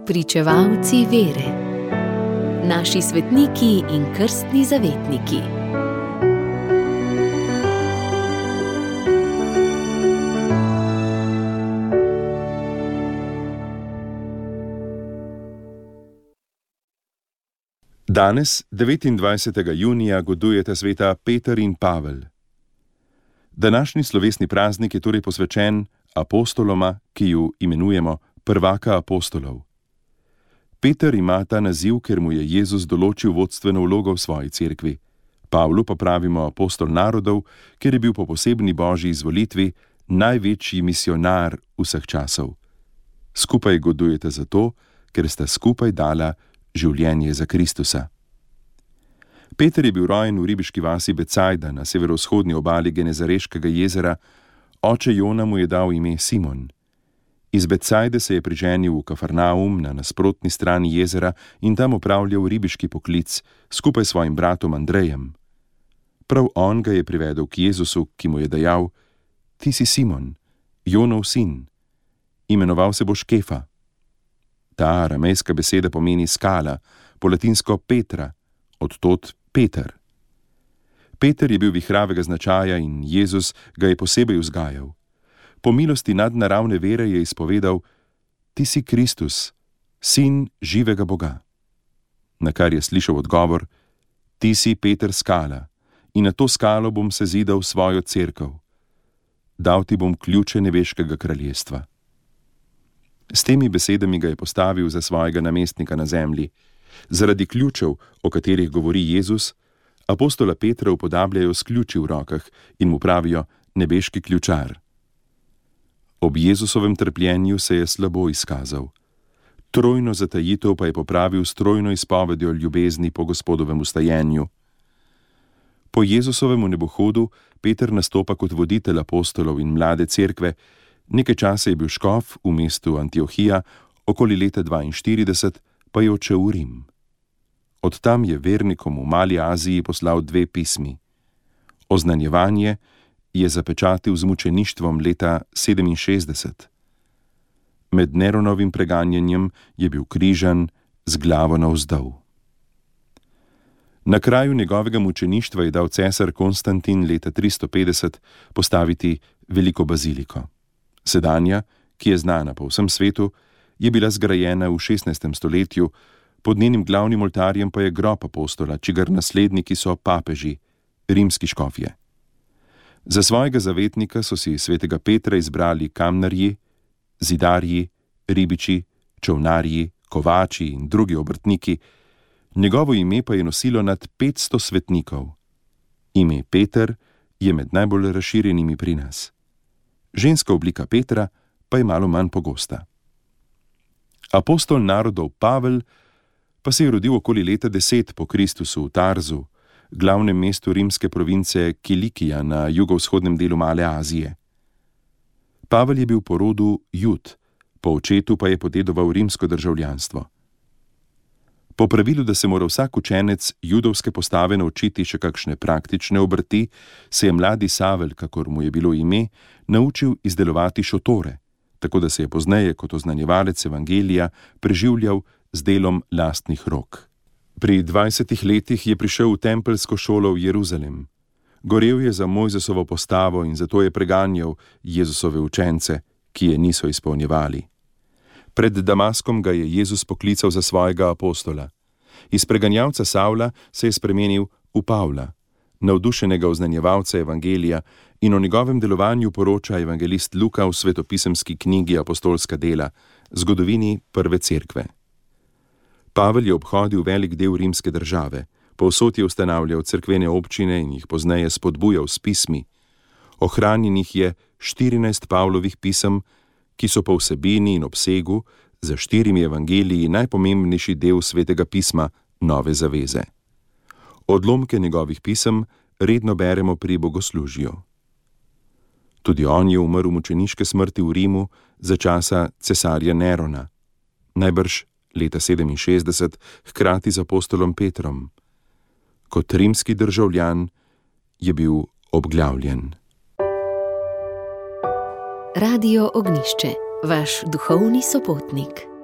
Pričevalci vere. Naši svetniki in krstni zavetniki. Danes, 29. junija, godujeta sveta Peter in Pavel. Današnji slovesni praznik je torej posvečen apostoloma, ki ju imenujemo prvaka apostolov. Peter ima ta naziv, ker mu je Jezus določil vodstveno vlogo v svoji cerkvi. Pavlu pa pravimo apostol narodov, ker je bil po posebni božji izvolitvi največji misionar vseh časov. Skupaj godujete zato, ker sta skupaj dala življenje za Kristusa. Peter je bil rojen v ribiški vasi Becajda na severovzhodni obali Genezareškega jezera, oče Jona mu je dal ime Simon. Iz Becajde se je priženil v Kafarnaum na nasprotni strani jezera in tam opravljal ribiški poklic skupaj s svojim bratom Andrejem. Prav on ga je privedel k Jezusu, ki mu je dejal: Ti si Simon, Jonov sin, imenoval se boš Kefa. Ta aramejska beseda pomeni skala, po latinsko Petra, od tod Peter. Peter je bil vihravega značaja in Jezus ga je posebej vzgajal. Po milosti nadnaravne vere je izpovedal: Ti si Kristus, sin živega Boga. Na kar je slišal odgovor: Ti si Peter skala, in na to skalo bom sezidal svojo cerkev. Dal ti bom ključe nebeškega kraljestva. S temi besedami ga je postavil za svojega namestnika na zemlji. Zaradi ključev, o katerih govori Jezus, apostola Petra upodabljajo s ključi v rokah in mu pravijo nebeški ključar. Ob Jezusovem trpljenju se je slabo izkazal. Trojno zatajitev pa je popravil s trojno izpovedjo ljubezni po Gospodovem vstajenju. Po Jezusovem nebohodu Peter nastopa kot voditelj apostolov in mlade cerkve. Nekaj časa je bil škof v mestu Antiohija, okoli leta 42 pa je odšel v Rim. Od tam je vernikom v Mali Aziji poslal 2 pismi. Oznanjevanje je zapečatil z mučeništvom leta 67. Med Neronovim preganjanjem je bil križan z glavo navzdol. Na kraju njegovega mučeništva je dal cesar Konstantin leta 350 postaviti veliko baziliko. Sedanja, ki je znana po vsem svetu, je bila zgrajena v 16. stoletju, pod njenim glavnim oltarjem pa je grob apostola, čigar nasledniki so papeži, rimski škofje. Za svojega zavetnika so si svetega Petra izbrali kamnarji, zidarji, ribiči, čolnarji, kovači in drugi obrtniki, njegovo ime pa je nosilo nad 500 svetnikov. Ime Peter je med najbolj razširjenimi pri nas. Ženska oblika Petra pa je malo manj pogosta. Apostol narodov Pavel pa se je rodil okoli leta 10 po Kristusu v Tarzu, glavnem mestu rimske province Kilikija na jugovzhodnem delu Male Azije. Pavel je bil po rodu Jud, po očetu pa je podedoval rimsko državljanstvo. Po pravilu, da se mora vsak učenec judovske postave naučiti še kakšne praktične obrti, se je mladi Savel, kakor mu je bilo ime, naučil izdelovati šotore, tako da se je pozneje kot oznanjevalec evangelija preživljal z delom lastnih rok. Pri 20 letih je prišel v tempelsko šolo v Jeruzalem. Gorel je za Mojzesovo postavo in zato je preganjal Jezusove učence, ki je niso izpolnjevali. Pred Damaskom ga je Jezus poklical za svojega apostola. Iz preganjalca Savla se je spremenil v Pavla, navdušenega oznanjevalca evangelija, in o njegovem delovanju poroča evangelist Luka v svetopisemski knjigi Apostolska dela, zgodovini prve cerkve. Pavel je obhodil velik del rimske države, povsod je ustanavljal cerkvene občine in jih pozneje spodbujal s pismi. Ohranjenih je 14 Pavlovih pisem, ki so po vsebini in obsegu za 4 evangeliji najpomembnejši del svetega pisma Nove zaveze. Odlomke njegovih pisem redno beremo pri bogoslužju. Tudi on je umrl mučeniške smrti v Rimu za časa cesarja Nerona, najbrž leta 67, hkrati z apostolom Petrom. Kot rimski državljan je bil obglavljen. Radio Ognjišče, vaš duhovni sopotnik.